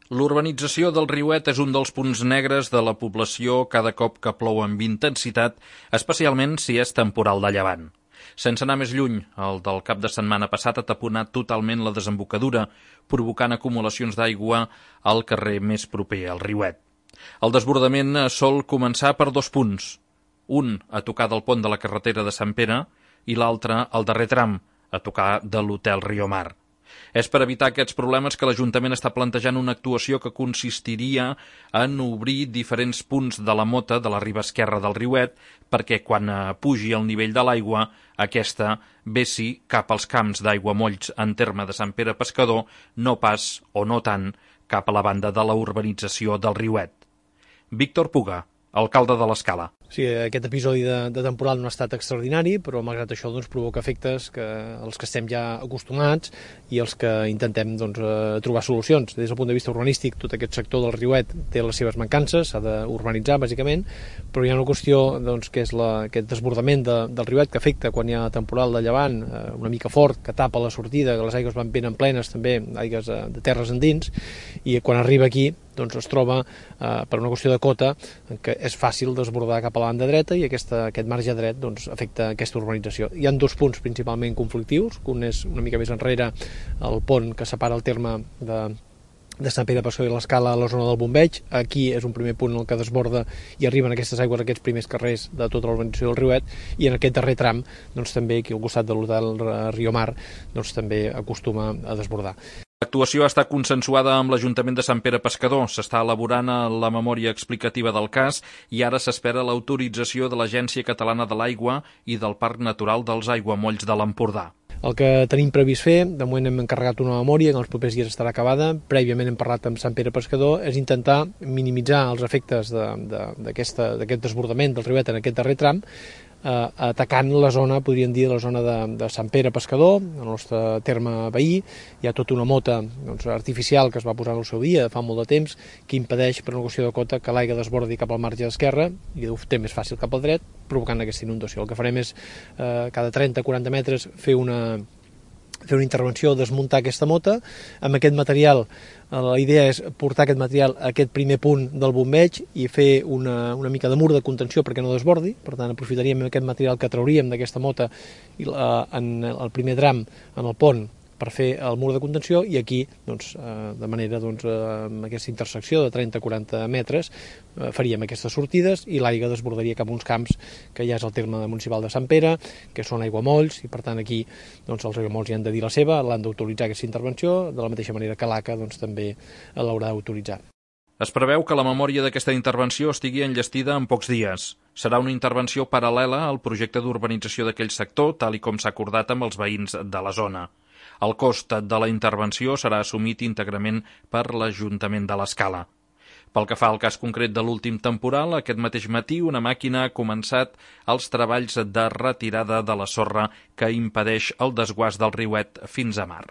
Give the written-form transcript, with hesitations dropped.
L'urbanització del Riuet és un dels punts negres de la població cada cop que plou amb intensitat, especialment si és temporal de llevant. Sense anar més lluny, el del cap de setmana passat ha taponat totalment la desembocadura, provocant acumulacions d'aigua al carrer més proper al Riuet. El desbordament sol començar per dos punts, un a tocar del pont de la carretera de Sant Pere i l'altre al darrer tram, a tocar de l'Hotel Riomar. És per evitar aquests problemes que l'Ajuntament està plantejant una actuació que consistiria en obrir diferents punts de la mota de la riba esquerra del Riuet perquè quan pugi el nivell de l'aigua aquesta vessi cap als camps d'aiguamolls en terme de Sant Pere Pescador, no pas o no tant cap a la banda de la urbanització del Riuet. Víctor Puga, alcalde de l'Escala. Sí, aquest episodi de temporal no ha estat extraordinari, però malgrat això provoca efectes als que estem ja acostumats i als que intentem trobar solucions. Des del punt de vista urbanístic, tot aquest sector del Riuet té les seves mancances, s'ha d'urbanitzar bàsicament, però hi ha una qüestió que és aquest desbordament del Riuet que afecta quan hi ha temporal de llevant una mica fort, que tapa la sortida, que les aigües van ben plenes també, aigües de terres endins, i quan arriba aquí es troba per una qüestió de cota que és fàcil desbordar cap a la banda dreta i aquest marge dret afecta aquesta urbanització. Hi ha dos punts principalment conflictius, un és una mica més enrere el pont que separa el terme de Sant Pere Pescador i l'Escala a la zona del Bombeig. Aquí és un primer punt en el que desborda i arriben aquestes aigües a aquests primers carrers de tota l'urbanització del Riuet, i en aquest darrer tram també aquí al costat de l'Hotel Riomar també acostuma a desbordar. L'actuació està consensuada amb l'Ajuntament de Sant Pere Pescador. S'està elaborant la memòria explicativa del cas i ara s'espera l'autorització de l'Agència Catalana de l'Aigua i del Parc Natural dels Aiguamolls de l'Empordà. El que tenim previst fer, de moment hem encarregat una memòria, que en els propers dies estarà acabada, prèviament hem parlat amb Sant Pere Pescador, és intentar minimitzar els efectes d'aquest desbordament del Riuet en aquest darrer tram, atacant la zona, podríem dir, la zona de Sant Pere Pescador, el nostre terme veí. Hi ha tota una mota artificial que es va posar en el seu dia, fa molt de temps, que impedeix, per una qüestió de cota, que l'aigua desbordi cap al marge esquerre i ho té més fàcil cap al dret, provocant aquesta inundació. El que farem és, cada 30-40 metres, fer una intervenció, desmuntar aquesta mota. Amb aquest material, la idea és portar aquest material a aquest primer punt del bombeig i fer una mica de mur de contenció perquè no desbordi. Per tant, aprofitaríem aquest material que trauríem d'aquesta mota en el primer tram, en el pont, per fer el mur de contenció, i aquí, de manera, amb aquesta intersecció de 30-40 metres, faríem aquestes sortides i l'aigua desbordaria cap a uns camps que ja és el terme municipal de Sant Pere, que són aiguamolls, i per tant aquí els aiguamolls hi han de dir la seva, l'han d'autoritzar aquesta intervenció, de la mateixa manera que l'ACA també l'haurà d'autoritzar. Es preveu que la memòria d'aquesta intervenció estigui enllestida en pocs dies. Serà una intervenció paral·lela al projecte d'urbanització d'aquell sector, tal i com s'ha acordat amb els veïns de la zona. El cost de la intervenció serà assumit íntegrament per l'Ajuntament de l'Escala. Pel que fa al cas concret de l'últim temporal, aquest mateix matí una màquina ha començat els treballs de retirada de la sorra que impedeix el desguàs del Riuet fins a mar.